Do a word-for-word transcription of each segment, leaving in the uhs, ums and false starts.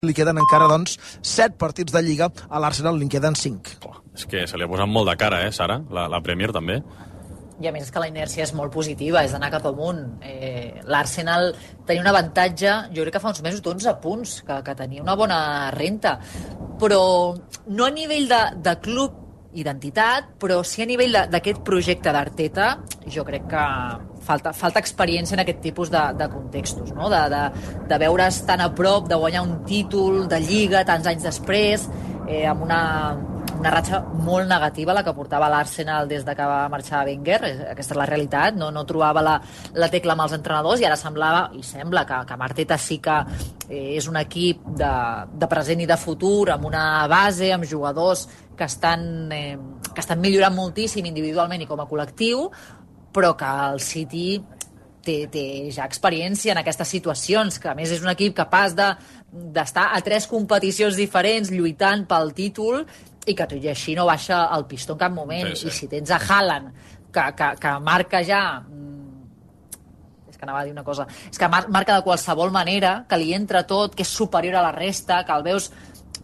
Li queden encara, doncs, set partits de Lliga, a l'Arsenal li queden cinc. Oh, és que se li ha posat molt de cara, eh, Sara? La, la Premier també. I a més és que la inèrcia és molt positiva, és d'anar cap amunt. Eh, L'Arsenal tenia un avantatge, jo crec que fa uns mesos d'onze punts, que, que tenia una bona renta, però no a nivell de, de club identitat, però sí a nivell d'aquest projecte d'Arteta, jo crec que falta, falta experiència en aquest tipus de, de contextos, no? de, de, de veure's tan a prop, de guanyar un títol de Lliga tants anys després, eh, amb una, una ratxa molt negativa, la que portava l'Arsenal des de que va marxar Wenger. Aquesta és la realitat, no, no trobava la, la tecla amb els entrenadors, i ara semblava, i sembla que, que Arteta sí que eh, és un equip de, de present i de futur, amb una base, amb jugadors que estan, eh, que estan millorant moltíssim individualment i com a col·lectiu, però que el City té, té ja experiència en aquestes situacions, que a més és un equip capaç de, d'estar a tres competicions diferents lluitant pel títol, i que tot i així no baixa el pistó en cap moment. Sí, sí. I si tens a Haaland, que, que, que marca ja... És que anava a dir una cosa... És que mar, marca de qualsevol manera, que li entra tot, que és superior a la resta, que el veus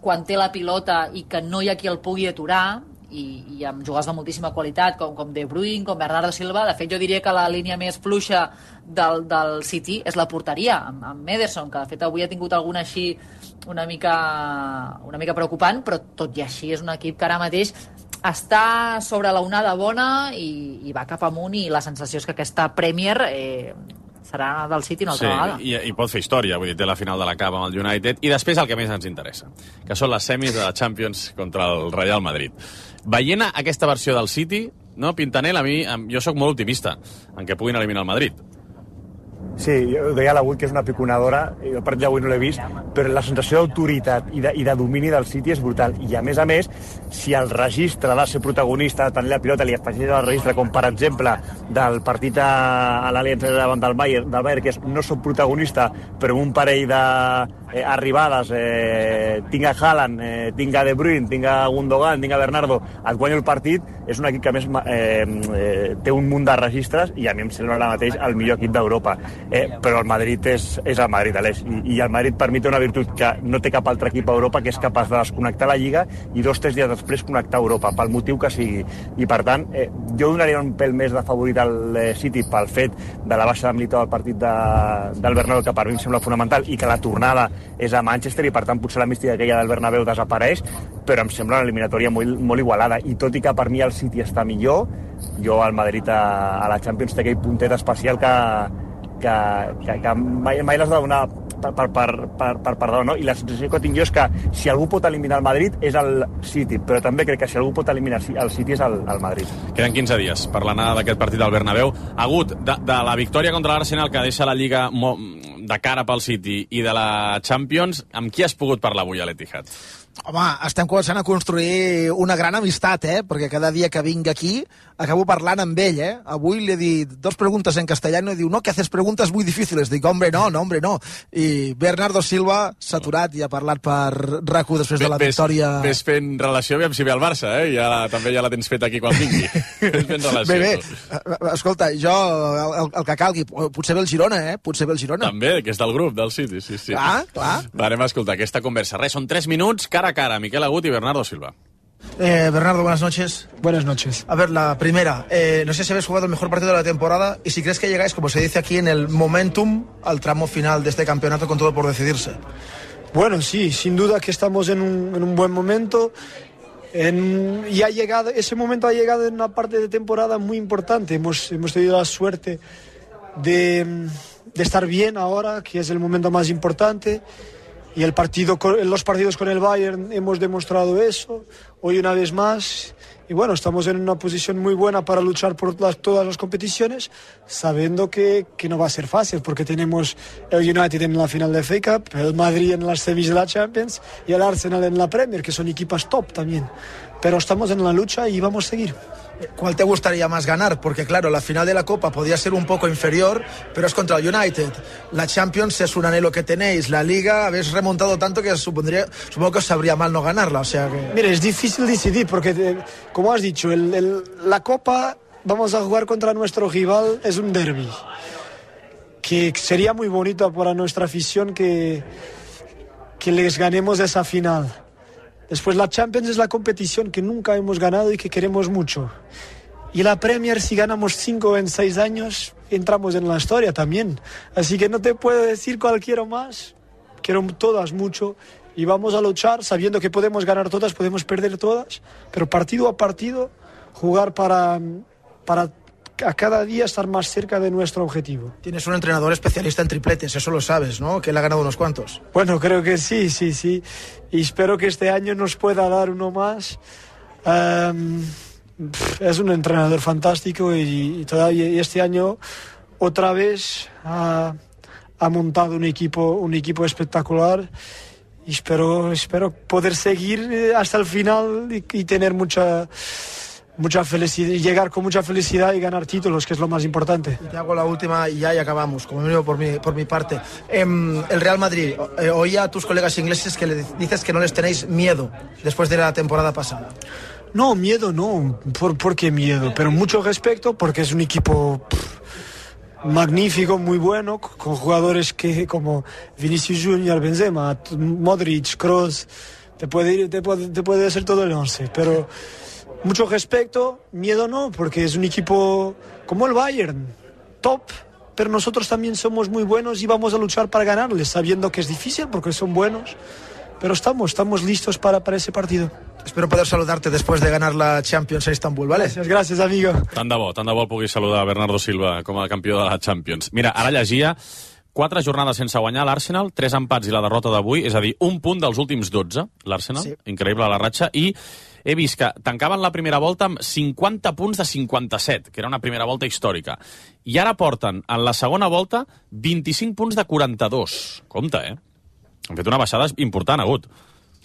quan té la pilota i que no hi ha qui el pugui aturar, i, i amb jugadors de moltíssima qualitat, com, com De Bruyne, com Bernardo Silva. De fet, jo diria que la línia més fluixa del, del City és la porteria, amb, amb Ederson, que de fet avui ha tingut alguna així una mica, una mica preocupant, però tot i així és un equip que ara mateix està sobre la onada bona i, i va cap amunt, i la sensació és que aquesta Premier eh, serà del City una altra sí, vegada. I, i pot fer història, vull dir, té la final de la Cup amb el United, i després el que més ens interessa, que són les semis de la Champions contra el Real Madrid. Veient aquesta versió del City, no, Pintanel, a mi, jo sóc molt optimista en què puguin eliminar el Madrid. Sí, jo deia l'avui que és una piconadora, jo el partit d'avui no l'he vist, però la sensació d'autoritat i, de, i de domini del City és brutal. I a més a més, si el registre de ser protagonista, de tenir la pilota, li afegeix el registre, com per exemple del partit a, a l'Aliança davant del Bayern, del Bayern, que és no soc protagonista, però un parell de eh, arribades, eh, tinc a Haaland, eh, tinc a De Bruyne, tinc a Gundogan, tinc a Bernardo, et guanyo el partit, és un equip que a més eh, eh, té un munt de registres, i a mi em sembla ara mateix el millor equip d'Europa. Eh, però el Madrid és, és el Madrid, Aleix, i, i el Madrid per mi té una virtut que no té cap altre equip a Europa, que és capaç de desconnectar la Lliga i dos o tres dies després connectar Europa, pel motiu que sigui. I per tant, eh, jo donaria un pèl més de favorit al eh, City pel fet de la baixa de Militao al partit de, del Bernabéu, que per mi em sembla fonamental, i que la tornada és a Manchester, i per tant potser la mística aquella del Bernabéu desapareix, però em sembla una eliminatòria molt, molt igualada, i tot i que per mi el City està millor, jo al Madrid a, a la Champions té aquell puntet especial que que, que, que mai, mai l'has de donar per, per, per, per, per perdó, no? I la sensació que tinc jo és que si algú pot eliminar el Madrid és el City, però també crec que si algú pot eliminar el City és el, el Madrid. Queden quinze dies per l'anada d'aquest partit del Bernabéu. Agut, de, de la victòria contra l'Arsenal, que deixa la Lliga de cara pel City, i de la Champions, amb qui has pogut parlar avui a l'Etihad? Home, estem començant a construir una gran amistat, eh? Perquè cada dia que vinc aquí acabo parlant amb ell, eh? Avui li he dit dos preguntes en castellano i diu, no, que haces preguntes muy difíciles. Dic, hombre, no, no, hombre, no. I Bernardo Silva s'ha aturat i ha parlat per RAC u després de la victòria... Ves fent relació, aviam si ve al Barça, eh? Ja la, també ja la tens feta aquí quan vingui. Ves fent relació. Bé, bé, escolta, jo, el, el que calgui, potser ve el Girona, eh? Potser ve el Girona. També, que és del grup, del City, sí, sí. Clar, clar. Va, anem a escoltar aquesta conversa. Res, són tres minuts, cara a cara, Miquel Agut i Bernardo Silva. Eh, Bernardo, buenas noches. Buenas noches. A ver, la primera, eh, no sé si habéis jugado el mejor partido de la temporada y si crees que llegáis, como se dice aquí, en el momentum al tramo final de este campeonato con todo por decidirse. Bueno, sí, sin duda que estamos en un, en un buen momento. En, y ha llegado, ese momento ha llegado en una parte de temporada muy importante. Hemos, hemos tenido la suerte de, de estar bien ahora, que es el momento más importante. Y el partido, los partidos con el Bayern hemos demostrado eso, hoy una vez más. Y bueno, estamos en una posición muy buena para luchar por las, todas las competiciones, sabiendo que, que no va a ser fácil, porque tenemos el United en la final de F A Cup, el Madrid en las semis de la Champions y el Arsenal en la Premier, que son equipos top también. Pero estamos en la lucha y vamos a seguir. ¿Cuál te gustaría más ganar? Porque claro, la final de la Copa podía ser un poco inferior, pero es contra el United. La Champions es un anhelo que tenéis. La Liga habéis remontado tanto que supondría, supongo que os sabría mal no ganarla. O sea que... Mire, es difícil decidir porque, como has dicho, el, el, la Copa vamos a jugar contra nuestro rival, es un derbi. Que sería muy bonito para nuestra afición que... que les ganemos esa final. Después la Champions es la competición que nunca hemos ganado y que queremos mucho. Y la Premier, si ganamos cinco en seis años, entramos en la historia también. Así que no te puedo decir cuál quiero más. Quiero todas mucho. Y vamos a luchar sabiendo que podemos ganar todas, podemos perder todas. Pero partido a partido, jugar para, para a cada día estar más cerca de nuestro objetivo. Tienes un entrenador especialista en tripletes, eso lo sabes, ¿no? Que él ha ganado unos cuantos. Bueno, creo que sí, sí, sí. Y espero que este año nos pueda dar uno más. Um, es un entrenador fantástico y, y, todavía, y este año otra vez ha, ha montado un equipo, un equipo espectacular y espero, espero poder seguir hasta el final y, y tener mucha, mucha felicidad, y llegar con mucha felicidad y ganar títulos, que es lo más importante. Te hago la última y ya y acabamos, como mínimo por mi, por mi parte. Eh, el Real Madrid, eh, oía a tus colegas ingleses que le dices que no les tenéis miedo después de la temporada pasada. No, miedo no. ¿Por, por qué miedo? Pero mucho respeto porque es un equipo pff, magnífico, muy bueno, con jugadores que como Vinicius Junior, Benzema, Modric, Kroos, te puede ir, te puede, te puede hacer todo el once. Pero mucho respeto, miedo no, porque es un equipo como el Bayern, top, pero nosotros también somos muy buenos y vamos a luchar para ganarles, sabiendo que es difícil porque son buenos. Pero estamos, estamos listos para, para ese partido. Espero poder saludarte después de ganar la Champions a Istanbul, ¿vale? Gràcies, gràcies, amigo. Tant de bo, tant de bo puguis saludar a Bernardo Silva com a campió de la Champions. Mira, ara llegia quatre jornades sense guanyar l'Arsenal, tres empats i la derrota d'avui, és a dir, un punt dels últims dotze, l'Arsenal, sí. Increïble la ratxa, i he vist que tancaven la primera volta amb cinquanta punts de cinquanta-set, que era una primera volta històrica, i ara porten en la segona volta vint-i-cinc punts de quaranta-dos. Compte, eh? Han fet una baixada important, Agut.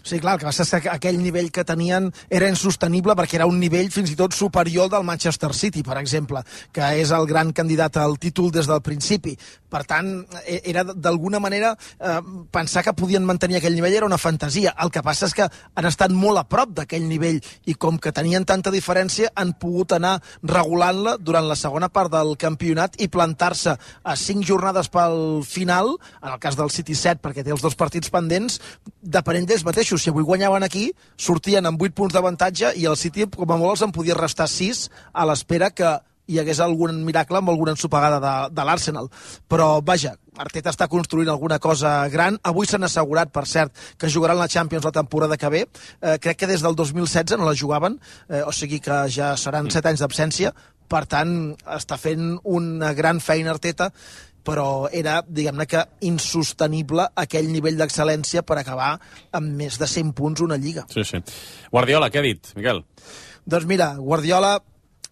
Sí, clar, el que passa és que aquell nivell que tenien era insostenible perquè era un nivell fins i tot superior del Manchester City, per exemple, que és el gran candidat al títol des del principi. Per tant, era d'alguna manera eh, pensar que podien mantenir aquell nivell era una fantasia. El que passa és que han estat molt a prop d'aquell nivell i com que tenien tanta diferència han pogut anar regulant-la durant la segona part del campionat i plantar-se a cinc jornades pel final, en el cas del City set perquè té els dos partits pendents, depenent d'ells mateixos. Si avui guanyaven aquí, sortien amb vuit punts d'avantatge i el City, com a molt, els en podia restar sis a l'espera que hi hagués algun miracle amb alguna ensopegada de, de l'Arsenal. Però, vaja, Arteta està construint alguna cosa gran. Avui s'han assegurat, per cert, que jugaran la Champions la temporada que ve. Eh, crec que des del dos mil setze no la jugaven, eh, o sigui que ja seran set anys d'absència. Per tant, està fent una gran feina Arteta, però era, diguem-ne que, insostenible aquell nivell d'excel·lència per acabar amb més de cent punts una lliga. Sí, sí. Guardiola, què ha dit, Miquel? Doncs mira, Guardiola,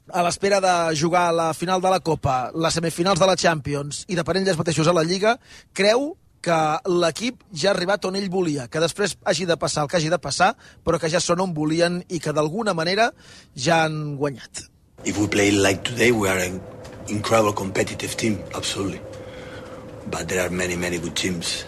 a l'espera de jugar a la final de la Copa, les semifinals de la Champions i depenent d'ells mateixos a la Lliga, creu que l'equip ja ha arribat on ell volia, que després hagi de passar el que hagi de passar, però que ja són on volien i que d'alguna manera ja han guanyat. If we play like today, we are an incredible competitive team, absolutely. But there are many, many good teams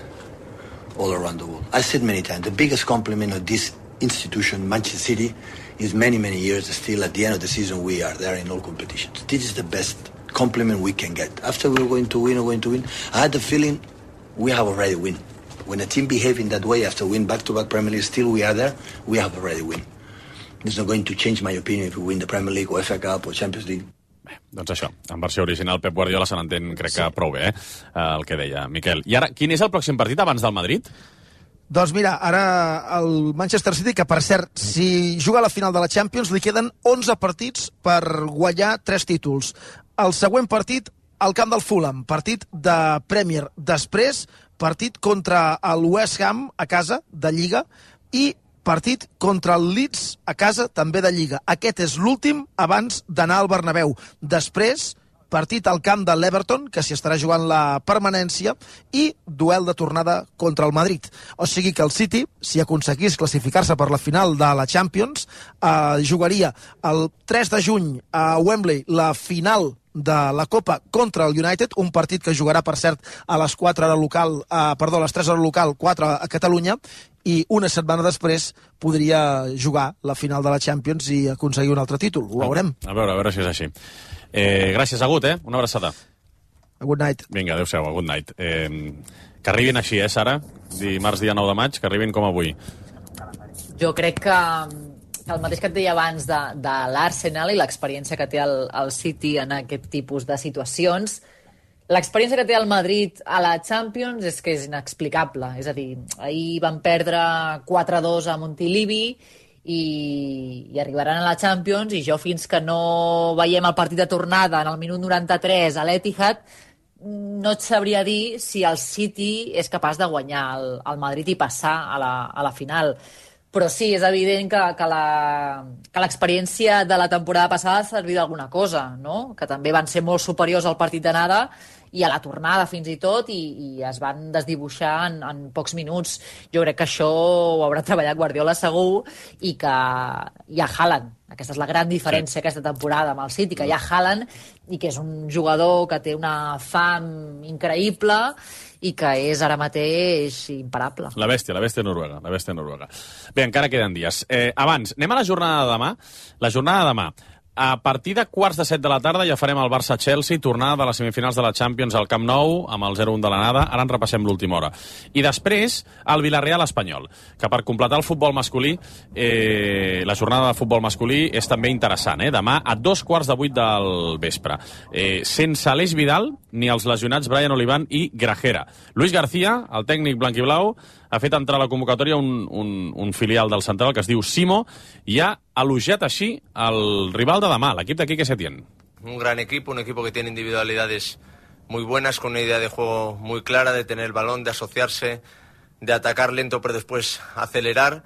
all around the world. I said many times, the biggest compliment of this institution, Manchester City, is many, many years still at the end of the season we are there in all competitions. This is the best compliment we can get. After we're going to win or going to win, I had the feeling we have already win. When a team behave in that way after win back-to-back Premier League, still we are there, we have already win. It's not going to change my opinion if we win the Premier League or F A Cup or Champions League. Bé, doncs això, en versió original Pep Guardiola se n'entén, crec que prou bé, eh? El que deia Miquel. I ara, quin és el pròxim partit abans del Madrid? Doncs mira, ara el Manchester City, que per cert, si juga a la final de la Champions, li queden onze partits per guanyar tres títols. El següent partit, al camp del Fulham, partit de Premier. Després, partit contra el West Ham a casa, de Lliga, i partit contra el Leeds a casa, també de Lliga. Aquest és l'últim abans d'anar al Bernabéu. Després, partit al camp de l'Everton, que s'hi estarà jugant la permanència, i duel de tornada contra el Madrid. O sigui que el City, si aconseguís classificar-se per la final de la Champions, eh, jugaria el tres de juny a Wembley la final de la Copa contra el United, un partit que jugarà, per cert, a les quatre hora local, eh, perdó, a les tres hora local, quatre a Catalunya, i una setmana després podria jugar la final de la Champions i aconseguir un altre títol. Ho veurem. A veure, a veure si és així. Eh, gràcies, Agut, eh? Una abraçada. Good night. Vinga, adéu-siau, good night. Eh, Que arribin així, eh, Sara? Dimarts, dia nou de maig, que arribin com avui. Jo crec que, que el mateix que et deia abans de, de l'Arsenal i l'experiència que té el, el City en aquest tipus de situacions, l'experiència que té el Madrid a la Champions és que és inexplicable. És a dir, ahir van perdre quatre a dos a Montilivi i, i arribaran a la Champions i jo fins que no veiem el partit de tornada en el minut noranta-tres a l'Etihad no et sabria dir si el City és capaç de guanyar el, el Madrid i passar a la, a la final. Però sí, és evident que, que, la, que l'experiència de la temporada passada ha servit d'alguna cosa, no? Que també van ser molt superiors al partit d'anada i a la tornada fins i tot, i, i es van desdibuixar en, en pocs minuts. Jo crec que això ho haurà treballat Guardiola segur, i que hi ha Haaland. Aquesta és la gran diferència sí. aquesta temporada amb el City, que hi ha Haaland i que és un jugador que té una fam increïble i que és ara mateix imparable. La bèstia, la bèstia noruega, la bèstia noruega. Bé, encara queden dies. Eh, abans, anem a la jornada de demà. La jornada de demà. A partir de quarts de set de la tarda ja farem el Barça-Chelsea, tornada de les semifinals de la Champions al Camp Nou, amb el zero un de l'anada. Ara en repassem l'última hora. I després, el Villarreal-Espanyol, que per completar el futbol masculí, eh, la jornada de futbol masculí és també interessant. Eh? Demà a dos quarts de vuit del vespre. Eh, sense Aleix Vidal, ni els lesionats Brian Olivan i Grajera. Luis García, el tècnic blanquiblau, ha fet entrar a la convocatòria un, un, un filial del central que es diu Simo i ha elogiat així el rival de demà, l'equip de Quique Setién. Un gran equipo, un equipo que tiene individualidades muy buenas, con una idea de juego muy clara, de tener el balón, de asociarse, de atacar lento pero después acelerar,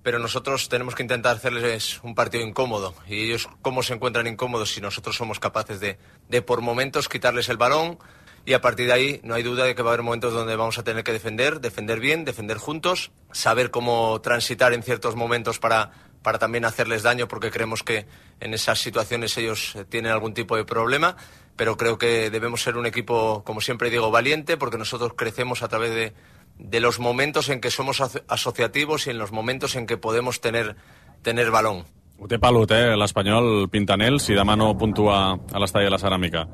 pero nosotros tenemos que intentar hacerles un partido incómodo. Y ellos, ¿cómo se encuentran incómodos si nosotros somos capaces de, de por momentos quitarles el balón? Y a partir de ahí no hay duda de que va a haber momentos donde vamos a tener que defender, defender bien, defender juntos, saber cómo transitar en ciertos momentos para, para también hacerles daño, porque creemos que en esas situaciones ellos tienen algún tipo de problema, pero creo que debemos ser un equipo, como siempre digo, valiente, porque nosotros crecemos a través de, de los momentos en que somos asociativos y en los momentos en que podemos tener, tener balón. Ho té pelut, eh, l'Espanyol Pintanel, si demà no puntua a l'estadi de la Ceràmica.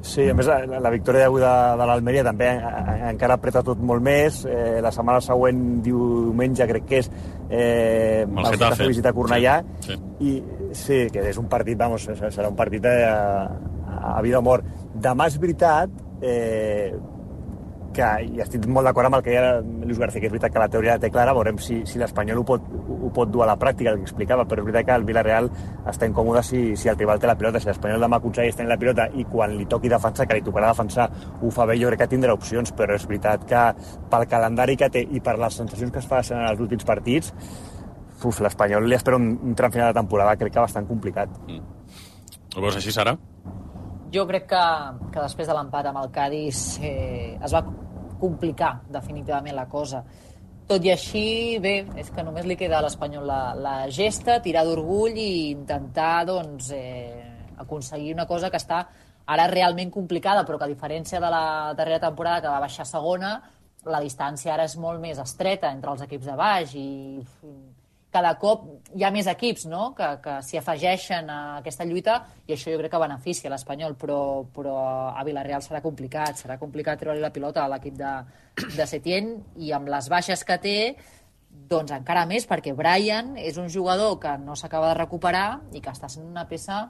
Sí, a més, la, la victòria d'avui de, de l'Almeria també encara apreta tot molt més. Eh, la setmana següent, diumenge, crec que és, eh, el Getafe visita Cornellà. Sí, sí. I sí, que és un partit, vamos, serà un partit a, a vida o mort. Demà és veritat eh, que, i estic molt d'acord amb el que deia Luis García, que és veritat que la teoria la té clara, veurem si, si l'Espanyol ho pot, ho pot dur a la pràctica, el que explicava, però és veritat que el Villarreal està incòmode si, si el rival té la pilota. Si l'Espanyol demà aconsegueix tenir la pilota i quan li toqui defensar, que li tocarà defensar, ho fa bé, jo crec que tindrà opcions, però és veritat que pel calendari que té i per les sensacions que es fan en els últims partits, uf, l'Espanyol li espera un, un tram final de temporada, crec que bastant complicat. Mm. Ho veus així, Sara? Jo crec que, que després de l'empat amb el Cádiz eh, es va complicar definitivament la cosa. Tot i així, bé, és que només li queda a l'Espanyol la, la gesta, tirar d'orgull i intentar doncs, eh, aconseguir una cosa que està ara realment complicada, però que a diferència de la darrera temporada que va baixar a segona, la distància ara és molt més estreta entre els equips de baix i cada cop hi ha més equips, no?, que, que s'hi afegeixen a aquesta lluita, i això jo crec que beneficia l'Espanyol, però, però a Villarreal serà complicat, serà complicat treure-li la pilota a l'equip de, de Setién, i amb les baixes que té, doncs encara més, perquè Brian és un jugador que no s'acaba de recuperar i que està sent una peça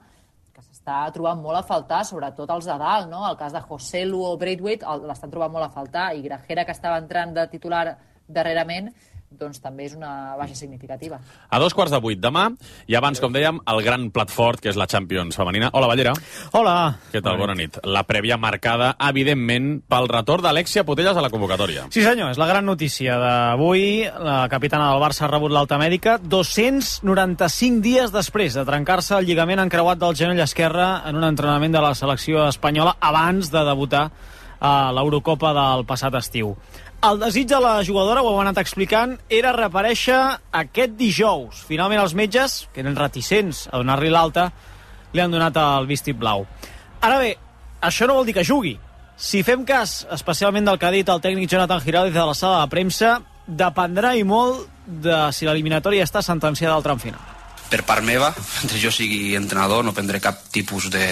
que s'està trobant molt a faltar, sobretot els de dalt, no? El cas de Joselu o Braithwaite l'estan trobant molt a faltar, i Grajera, que estava entrant de titular darrerament, doncs també és una baixa significativa. A dos quarts de vuit demà, i abans, com dèiem, el gran plat fort, que és la Champions femenina. Hola, Ballera. Hola. Què tal? Bona nit. La prèvia marcada, evidentment, pel retorn d'Alexia Putellas a la convocatòria. Sí, senyor, és la gran notícia d'avui. La capitana del Barça ha rebut l'alta mèdica dos-cents noranta-cinc dies després de trencar-se el lligament encreuat del genoll esquerre en un entrenament de la selecció espanyola abans de debutar a l'Eurocopa del passat estiu. El desig de la jugadora, ho heu anat explicant, era reaparèixer aquest dijous. Finalment els metges, que eren reticents a donar-li l'alta, li han donat el vistit blau. Ara bé, això no vol dir que jugui. Si fem cas, especialment del que ha dit el tècnic Jonathan Giraldez de la sala de premsa, dependrà i molt de si l'eliminatòria està sentenciada al tram final. per part meva, mentre jo sigui entrenador, no prendré cap tipus de,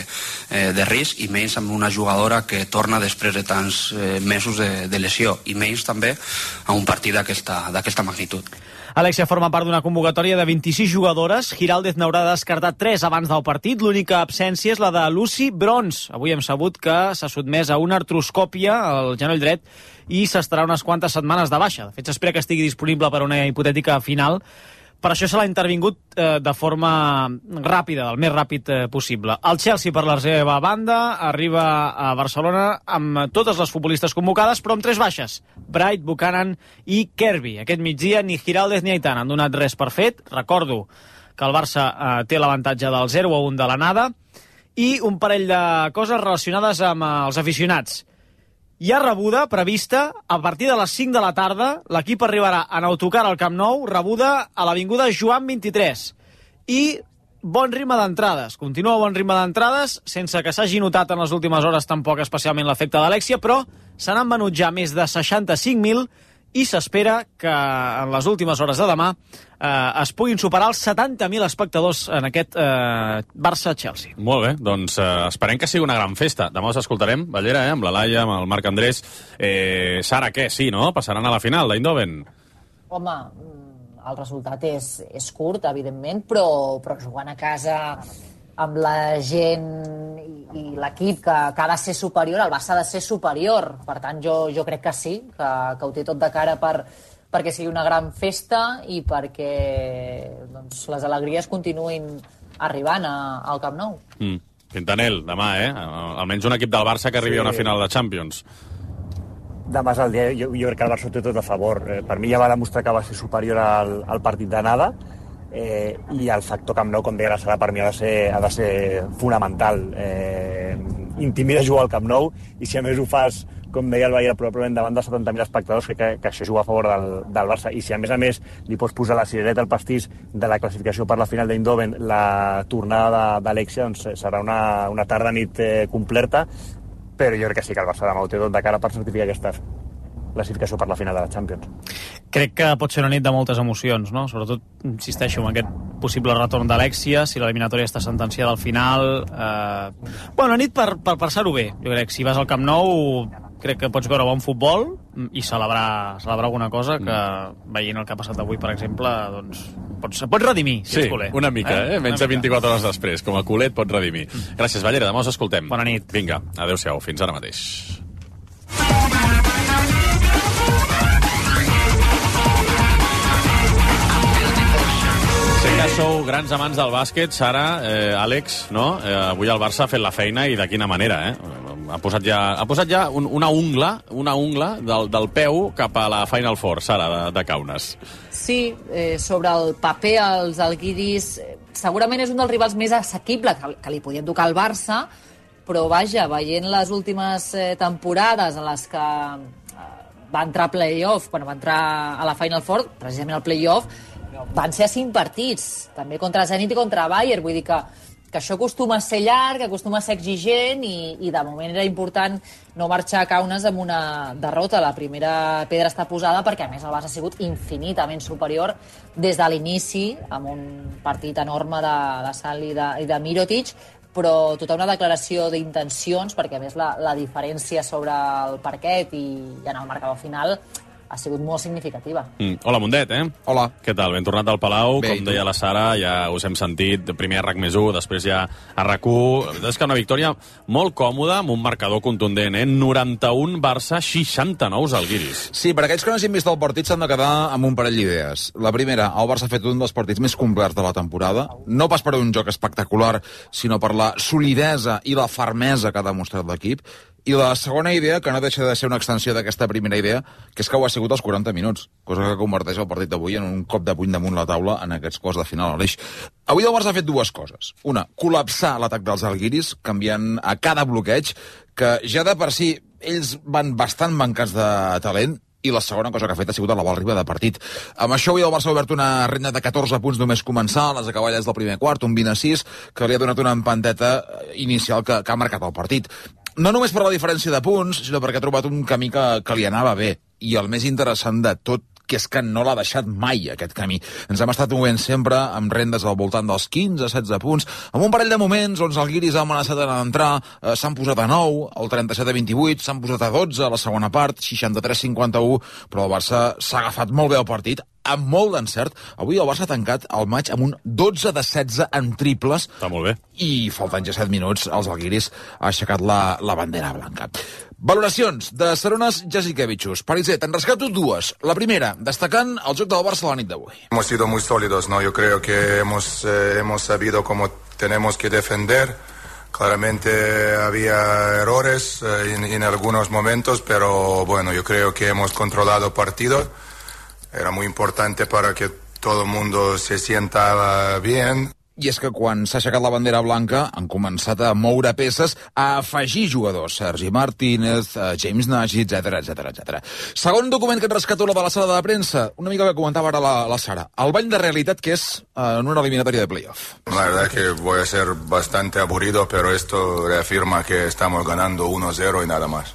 eh, de risc, i menys amb una jugadora que torna després de tants eh, mesos de, de lesió, i menys també a un partit d'aquesta d'aquesta magnitud. Alexia forma part d'una convocatòria de vint-i-sis jugadores. Giraldez n'haurà descartat tres abans del partit. L'única absència és la de Lucy Bronze. Avui hem sabut que s'ha sotmès a una artroscòpia al genoll dret i s'estarà unes quantes setmanes de baixa. De fet, s'espera que estigui disponible per a una hipotètica final. Per això se l'ha intervingut eh, de forma ràpida, el més ràpid eh, possible. El Chelsea, per la seva banda, arriba a Barcelona amb totes les futbolistes convocades, però amb tres baixes: Bright, Buchanan i Kirby. Aquest migdia ni Giraldez ni Aitana han donat res per fet. Recordo que el Barça eh, té l'avantatge del zero a un de l'anada, i un parell de coses relacionades amb eh, els aficionats. Hi ha rebuda prevista a partir de les cinc de la tarda. L'equip arribarà en autocar al Camp Nou, rebuda a l'avinguda Joan vint-i-tres. I bon ritme d'entrades. Continua bon ritme d'entrades, sense que s'hagi notat en les últimes hores tampoc especialment l'efecte d'Alexia, però se n'han venut ja més de seixanta-cinc mil i s'espera que en les últimes hores de demà eh, es puguin superar els setanta mil espectadors en aquest eh, Barça-Chelsea. Molt bé, doncs eh, esperem que sigui una gran festa. Demà us escoltarem, Ballera, eh, amb la Laia, amb el Marc Andrés. Eh, Sara, què? Sí, no? Passaran a la final d'Eindhoven. Home, el resultat és, és curt, evidentment, però, però jugant a casa amb la gent i, i l'equip que, que ha de ser superior, el Barça ha de ser superior. Per tant, jo, jo crec que sí, que, que ho té tot de cara per, perquè sigui una gran festa i perquè doncs, les alegries continuïn arribant a, al Camp Nou. Mm. Quintanel, demà, eh? Almenys un equip del Barça que arribi sí. a una final de Champions. Demà és el dia, jo, jo crec que el Barça té tot a favor. Eh, per mi ja va demostrar que va ser superior al, al partit d'anada, eh, i el factor Camp Nou, com deia la Sara, per mi ha de ser, ha de ser fonamental. Eh, intimida jugar al Camp Nou, i si a més ho fas, com deia el Bayern, probablement davant de setanta mil espectadors, crec que, que això juga a favor del, del Barça. I si a més a més li pots posar la cirereta al pastís de la classificació per la final d'Eindhoven, la tornada d'Alexia, doncs serà una, una tarda-nit eh, completa, però jo crec que sí que el Barça demà ho té tot de cara per certificar aquesta classificació per la final de la Champions. Crec que pot ser una nit de moltes emocions, no? Sobretot, insisteixo, en aquest possible retorn d'Alexia, si l'eliminatòria està sentenciada al final. Eh... Bueno, una nit per, per passar-ho bé. Jo crec que si vas al Camp Nou crec que pots veure bon futbol i celebrar, celebrar alguna cosa que, veient el que ha passat avui, per exemple, doncs pots, pots redimir, si sí, ets culer. Una mica, eh? eh? Menys de vint-i-quatre hores després. Com a culet pots redimir. Gràcies, Ballera. Demà us escoltem. Bona nit. Vinga, adeu-siau. Fins ara mateix. Sé que sou grans amants del bàsquet, Sara, eh, Àlex, no? Eh, avui el Barça ha fet la feina, i de quina manera, eh? Ha posat ja, ha posat ja un, una ungla, una ungla del, del peu cap a la Final Four, Sara, de, de Kaunas. Sí, eh, sobre el paper, els alguiris, eh, segurament és un dels rivals més assequibles que, que li podien tocar al Barça, però vaja, veient les últimes eh, temporades en les que eh, va entrar a play-off, quan va entrar a la Final Four, precisament al play-off, van ser a cinc partits, també contra Zenit i contra Bayern, vull dir que, que això acostuma a ser llarg, acostuma a ser exigent, i, i de moment era important no marxar a Kaunas amb una derrota. La primera pedra està posada perquè, a més, el Barça ha sigut infinitament superior des de l'inici, amb un partit enorme de, de Sal i de, i de Mirotic, però tota una declaració d'intencions, perquè, a més, la, la diferència sobre el parquet i, i en el marcador final ha sigut molt significativa. Mm. Hola, Mundet, eh? Hola. Què tal? Ben tornat al Palau, Bé, com deia la Sara, ja us hem sentit, primer a RAC més u, després ja a RAC u. És que una victòria molt còmoda, amb un marcador contundent, eh? noranta-un Barça, seixanta-nou Zalgiris. Sí, per aquells que no hagin vist el partit s'han de quedar amb un parell d'idees. La primera, el Barça ha fet un dels partits més complets de la temporada, no pas per un joc espectacular, sinó per la solidesa i la fermesa que ha demostrat l'equip. I la segona idea, que no deixa de ser una extensió d'aquesta primera idea, que és que ho ha sigut als quaranta minuts, cosa que converteix el partit d'avui en un cop de puny damunt la taula en aquests quarts de final a l'Eix. Avui el Barça ha fet dues coses. Una, col·lapsar l'atac dels Zalgiris, canviant a cada bloqueig, que ja de per si ells van bastant mancats de talent, i la segona cosa que ha fet ha sigut elevar el ritme de partit. Amb això avui el Barça ha obert una renda de catorze punts només començar, les acaballes del primer quart, un vint a sis, que li ha donat una empanteta inicial que, que ha marcat el partit. No només per la diferència de punts, sinó perquè ha trobat un camí que, que li anava bé. I el més interessant de tot, que és que no l'ha deixat mai, aquest camí. Ens hem estat movent sempre amb rendes al voltant dels quinze setze punts, amb un parell de moments on els guiris han amenaçat d'entrar, eh, s'han posat a nou, el trenta-set a vint-i-vuit, s'han posat a dotze a la segona part, seixanta-tres cinquanta-u, però el Barça s'ha agafat molt bé el partit, amb molt d'encert. Avui el Barça ha tancat el maig amb un dotze de setze en triples. Està molt bé. I faltant ja set minuts, els alguiris ha aixecat la, la bandera blanca. Valoracions de Sarunas Jasikevičius. Pariser, te'n rescato dues. La primera, destacant el joc del Barça la nit d'avui. Hemos sido muy sólidos, ¿no? Yo creo que hemos, eh, hemos sabido cómo tenemos que defender. Claramente había errores eh, en, en algunos momentos, pero bueno, yo creo que hemos controlado partido. Era muy importante para que todo el mundo se sienta bien. I és que quan s'ha aixecat la bandera blanca han començat a moure peces, a afegir jugadors. Sergi Martínez, James Nagy, etcètera, etcètera, etcètera. Segon document que et rescato, la de la sala de premsa. Una mica que comentava ara la, la Sara. El bany de realitat que és eh, en una eliminatòria de playoff. La verdad que voy a ser bastante aburrido, pero esto reafirma que estamos ganando uno cero y nada más.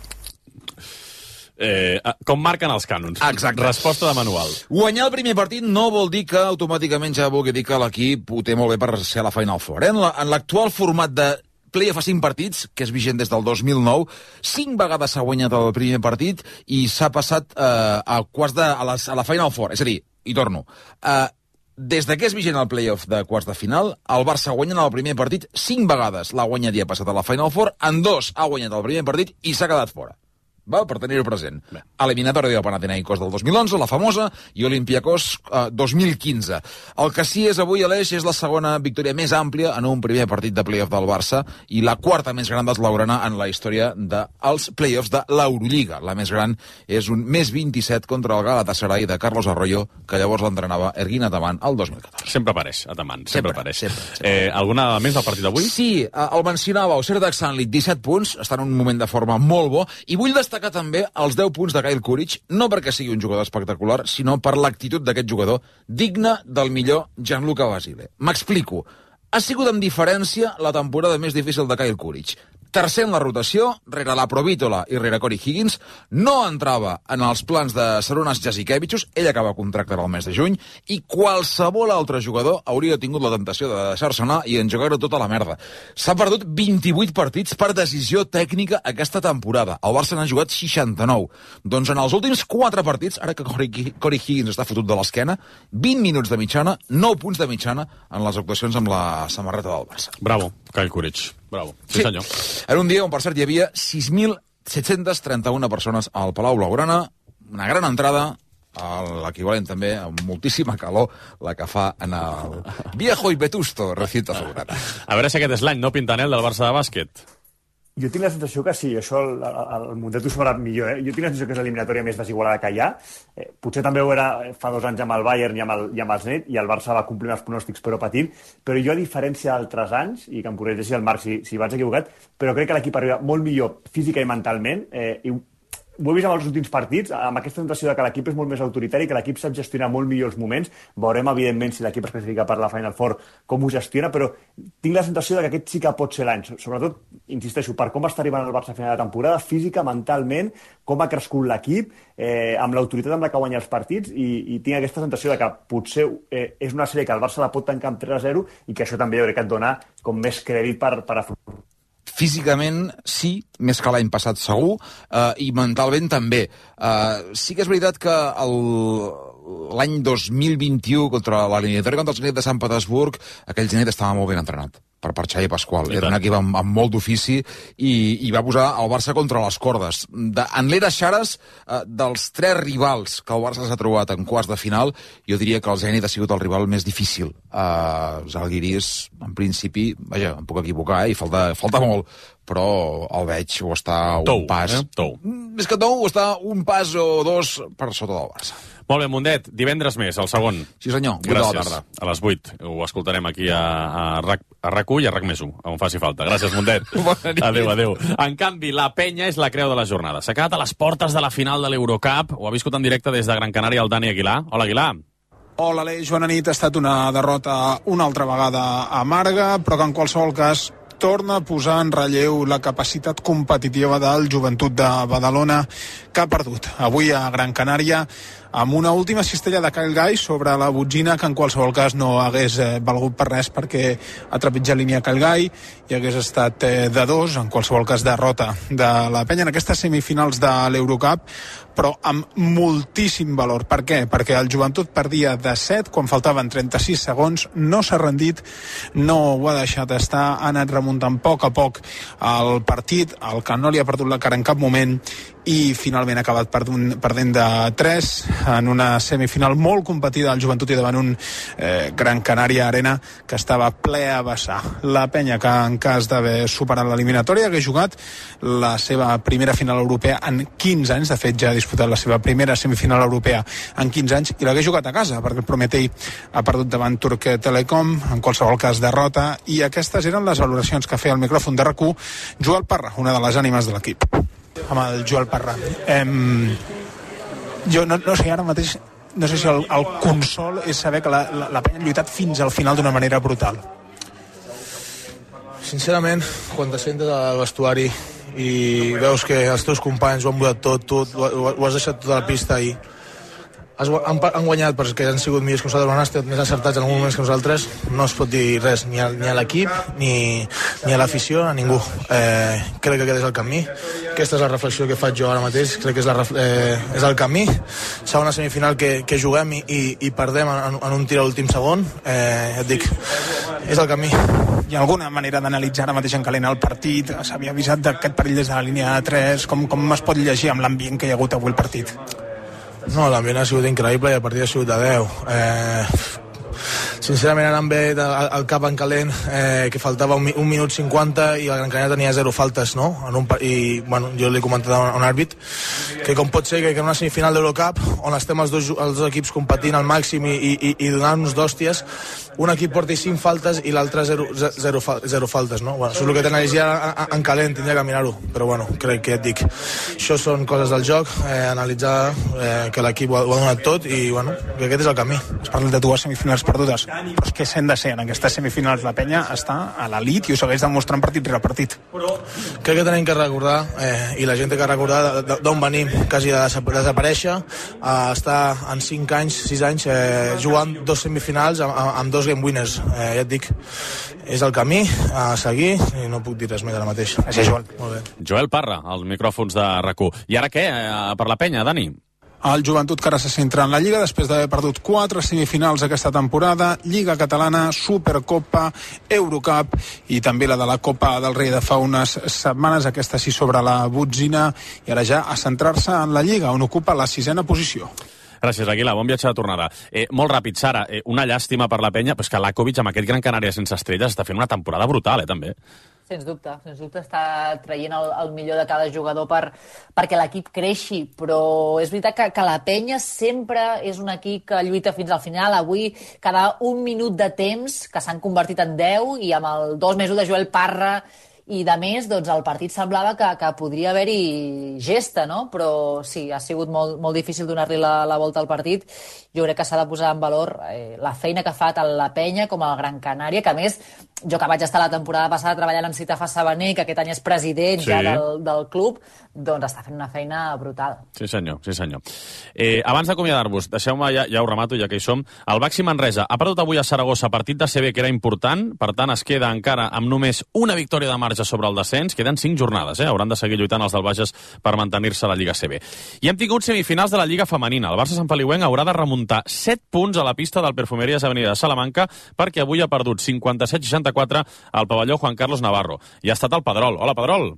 Eh, com marquen els cànons. Exacte. Resposta de manual. Guanyar el primer partit no vol dir que automàticament ja vulgui dir que l'equip ho té molt bé per ser a la Final Four. Eh? En l'actual format de playoff a cinc partits, que és vigent des del dos mil nou, cinc vegades s'ha guanyat el primer partit i s'ha passat eh, a quarts de, a, les, a la Final Four. És a dir, i torno, eh, des de que és vigent el playoff de quarts de final, el Barça guanya en el primer partit cinc vegades. L'ha guanyat i ha passat a la Final Four, en dos ha guanyat el primer partit i s'ha quedat fora. Va, per tenir-ho present. Bé. Eliminatòria del Panathinaikos del dos mil onze, la famosa, i Olympiacos eh, dos mil quinze. El que sí és avui, Aleix, és la segona victòria més àmplia en un primer partit de playoff del Barça i la quarta més gran d'Esblaugrana en la història dels playoffs de l'Eurolliga. La més gran és un més vint-i-set contra el Galatasaray de Carlos Arroyo, que llavors l'entrenava Ergin Ataman el dos mil catorze. Sempre apareix, Ataman, sempre, sempre apareix. Sempre, sempre. Eh, alguna més del partit d'avui? Sí, eh, el mencionava, el Serdar Sanlit, disset punts, està en un moment de forma molt bo, i vull destacar també els deu punts de Kyle Kuric, no perquè sigui un jugador espectacular, sinó per l'actitud d'aquest jugador, digne del millor Gianluca Basile. M'explico. Ha sigut amb diferència la temporada més difícil de Kyle Kuric. Tercer en la rotació, rere la Provítola i rere Corey Higgins, no entrava en els plans de Sarunas Jasikevičius, ell acaba contracte el mes de juny, i qualsevol altre jugador hauria tingut la tentació de deixar-se anar i engegar-ho tota la merda. S'ha perdut vint-i-vuit partits per decisió tècnica aquesta temporada. El Barça n'ha jugat seixanta-nou. Doncs en els últims quatre partits, ara que Corey, Corey Higgins està fotut de l'esquena, vint minuts de mitjana, nou punts de mitjana en les actuacions amb la samarreta del Barça. Bravo, Kyle Kuric. Bravo. Sí, sí, senyor. Era un dia on, per cert, hi havia sis mil set-cents trenta-una persones al Palau Blaugrana, una gran entrada, l'equivalent també a moltíssima calor, la que fa en el viejo y vetusto recinto azulgrana. A veure si aquest és l'any, no, Pintanel, del Barça de bàsquet? Jo tinc la sensació que sí, això el, el, el Mundet ho sabrà millor, eh? Jo tinc la sensació que és l'eliminatòria més desigualada que hi ha. Eh, potser també ho era fa dos anys amb el Bayern i amb el, i amb el Zenit, i el Barça va complir els pronòstics però patint, però jo, a diferència d'altres anys, i que em corregeixi el Marc si, si vaig equivocat, però crec que l'equip arriba molt millor física i mentalment, eh, i ho he vist amb els últims partits, amb aquesta sensació de que l'equip és molt més autoritari, que l'equip sap gestionar molt millor els moments. Veurem, evidentment, si l'equip es classifica per la Final Four, com ho gestiona, però tinc la sensació de que aquest sí que pot ser l'any. Sobretot, insisteixo, per com està arribant el Barça a final de temporada, física, mentalment, com ha crescut l'equip, eh, amb l'autoritat amb la que guanya els partits, i, i tinc aquesta sensació de que potser eh, és una sèrie que el Barça la pot tancar amb tres a zero i que això també jo crec que et dona com més crèdit per, per afrontar. Físicament, sí, més que l'any passat segur, eh, i mentalment també. Eh, sí que és veritat que el, l'any dos mil vint-i-u, contra l'eliminatòria contra el Zenit de Sant Petersburg, aquell Zenit estava molt ben entrenat per, per Xavi Pasqual. Era un equip amb, amb molt d'ofici i, i va posar el Barça contra les cordes. De, en l'era Xares, eh, dels tres rivals que el Barça s'ha trobat en quarts de final, jo diria que el Zenit ha sigut el rival més difícil. Eh, Zalgiris, en principi, vaja, em puc equivocar, eh, i falta, falta molt, però el veig o està un tou, pas... Eh? Tou. Més que tou, o està un pas o dos per sota del Barça. Molt bé, Mundet, divendres més, el segon. Sí, senyor, vuit Gràcies. de la tarda. A les vuit. Ho escoltarem aquí a, a, RAC, a RAC u i a RAC més u, on faci falta. Gràcies, Mundet. Adéu, adéu. En canvi, la penya és la creu de la jornada. S'ha quedat a les portes de la final de l'Eurocup. Ho ha viscut en directe des de Gran Canària el Dani Aguilar. Hola, Aguilar. Hola, Aleix, bona nit. Ha estat una derrota una altra vegada amarga, però que en qualsevol cas torna a posar en relleu la capacitat competitiva del Joventut de Badalona, que ha perdut avui a Gran Canària amb una última cistella de Kyle Guy sobre la botzina, que en qualsevol cas no hagués eh, valgut per res, perquè ha trepitjat línia Kyle Guy i hagués estat eh, de dos, en qualsevol cas derrota de la Penya en aquestes semifinals de l'Eurocup, però amb moltíssim valor. Per què? Perquè el Joventut perdia de set quan faltaven trenta-sis segons, no s'ha rendit, no ho ha deixat estar, ha anat remuntant a poc a poc el partit, el que no li ha perdut la cara en cap moment, i finalment ha acabat perdent de tres en una semifinal molt competida al Joventut i davant un eh, Gran Canària Arena que estava ple a vessar. La Penya, que en cas d'haver superat l'eliminatòria, hagués jugat la seva primera final europea en quinze anys, de fet ja ha disputat la seva primera semifinal europea en quinze anys, i l'hagués jugat a casa, perquè el Prometei ha perdut davant Turk Telecom, en qualsevol cas derrota, i aquestes eren les valoracions que feia el micròfon de RAC u Joel Parra, una de les ànimes de l'equip. Amb el Joel Parra. Em... Jo no, no sé, ara mateix no sé si el, el consol és saber que la, la, la Penya ha lluitat fins al final d'una manera brutal. Sincerament, quan te sentes al vestuari i veus que els teus companys ho han votat tot, tu ho, ho has deixat tota la pista i has, han, han guanyat perquè han sigut millors que nosaltres, han estat més acertats en alguns moments que nosaltres, no es pot dir res ni a, ni a l'equip, ni, ni a l'afició, a ningú. Eh, crec que aquest és el camí, aquesta és la reflexió que faig jo ara mateix, crec que és, la, eh, és el camí. Serà una semifinal que, que juguem i, i, i perdem en, en un tir a l'últim segon, eh, et dic, és el camí. Hi ha alguna manera d'analitzar ara mateix en calent el partit? S'havia avisat d'aquest perill des de la línia de tres, com, com es pot llegir amb l'ambient que hi ha hagut avui el partit? No, l'ambient ha sigut increïble i el partit ha sigut de deu. Eh, sincerament anant bé al cap en calent, eh, que faltava un, un minut cinquanta i el Gran Canària tenia zero faltes, no? En un, i bueno, jo li he comentat a un àrbit que com pot ser que en una semifinal d'Eurocup on estem els dos, els dos equips competint al màxim i, i, i donant-nos d'hòsties, un equip porti cinc faltes i l'altre zero, zero, zero faltes, no? Bueno, això és el que t'analitzaria en calent, tindria que mirar-ho, però bueno, crec que et dic, això són coses del joc, eh, analitzar eh, que l'equip ho, ho ha donat tot i bueno, que aquest és el camí. Es parla de dues semifinals perdudes, però és que s'han de ser en aquestes semifinals. La Penya està a l'elit i ho segueix demostrant partit rere partit. Crec que tenim que recordar, eh, i la gent té que recordar d'on venim, quasi de desaparèixer, a estar en cinc anys, sis anys, eh, jugant dos semifinals amb, amb dos game winners. Eh, ja et dic, és el camí a seguir i no puc dir res més ara mateix. Gràcies, Joel. Molt bé. Joel Parra, als micròfons de RAC u. I ara què, eh, per la Penya, Dani? El Joventut, que ara se centra en la Lliga després d'haver perdut quatre semifinals aquesta temporada, Lliga Catalana, Supercopa, Eurocup i també la de la Copa del Rei de fa unes setmanes, aquesta sí sobre la botzina, i ara ja a centrar-se en la Lliga, on ocupa la sisena posició. Gràcies, Aguilar. Bon viatge de tornada. Eh, molt ràpid, Sara, eh, una llàstima per la Penya, però és que Lakovic, amb aquest Gran Canària sense estrelles, està fent una temporada brutal, eh, també. Sens dubte, sens dubte està traient el, el millor de cada jugador per, perquè l'equip creixi, però és veritat que, que la Penya sempre és un equip que lluita fins al final. Avui, cada un minut de temps, que s'han convertit en deu, i amb el dos mesos de Joel Parra i de més, doncs el partit semblava que, que podria haver-hi gesta, no? Però sí, ha sigut molt, molt difícil donar-li la, la volta al partit. Jo crec que s'ha de posar en valor eh, la feina que ha fet la Penya com el Gran Canària, que a més, jo que vaig estar la temporada passada treballant amb Citafa Sabaner, que aquest any és president sí. ja del, del club, doncs està fent una feina brutal. Sí senyor, sí senyor. Eh, abans d'acomiadar-vos, deixeu-me, ja, ja ho remato, ja que hi som, el Baxi Manresa ha perdut avui a Saragossa, partit de C B que era important, per tant es queda encara amb només una victòria de marge sobre el descens, queden cinc jornades, eh? Hauran de seguir lluitant els del Bages per mantenir-se a la Lliga C B. I hem tingut semifinals de la Lliga Femenina. El Barça Sant Feliuenc haurà de remuntar set punts a la pista del Perfumerías Avenida de Salamanca perquè avui ha perdut cinquanta-set seixanta-quatre al pavelló Juan Carlos Navarro. I ha estat el Pedrol. Hola, Pedrol.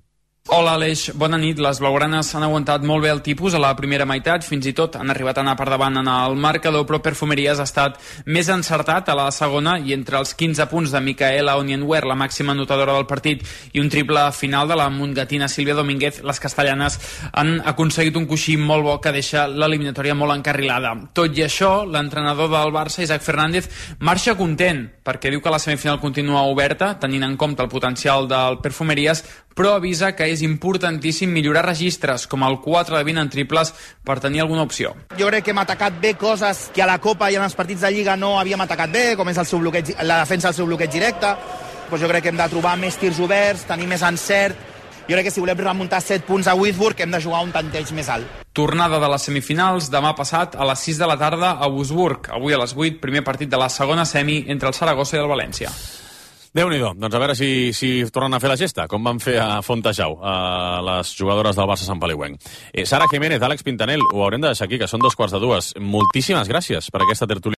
Hola Aleix, bona nit. Les blaugranes han aguantat molt bé el tipus a la primera meitat, fins i tot han arribat a anar per davant en el marcador, però Perfumerías ha estat més encertat a la segona i entre els quinze punts de Micaela Onienware, la màxima anotadora del partit, i un triple final de la montgatina Sílvia Domínguez, les castellanes han aconseguit un coixí molt bo que deixa l'eliminatòria molt encarrilada. Tot i això, l'entrenador del Barça, Isaac Fernández, marxa content, perquè diu que la semifinal continua oberta, tenint en compte el potencial del Perfumerías, però avisa que és importantíssim millorar registres, com el quatre de vint en triples, per tenir alguna opció. Jo crec que hem atacat bé coses que a la Copa i en els partits de Lliga no havíem atacat bé, com és el seu bloqueig, la defensa del seu bloqueig directe. Pues jo crec que hem de trobar més tirs oberts, tenir més encert. Jo crec que si volem remuntar set punts a Whitburn hem de jugar un tanteig més alt. Tornada de les semifinals demà passat a les sis de la tarda a Wurzburg. Avui a les vuit, primer partit de la segona semi entre el Saragossa i el València. Déu-n'hi-do. Doncs a veure si, si tornen a fer la gesta, com van fer a Fontejau, a les jugadores del Barça Sant Feliuenc. Eh, Sara Jiménez, Àlex Pintanel, ho haurem de deixar aquí, que són dos quarts de dues. Moltíssimes gràcies per aquesta tertúlia.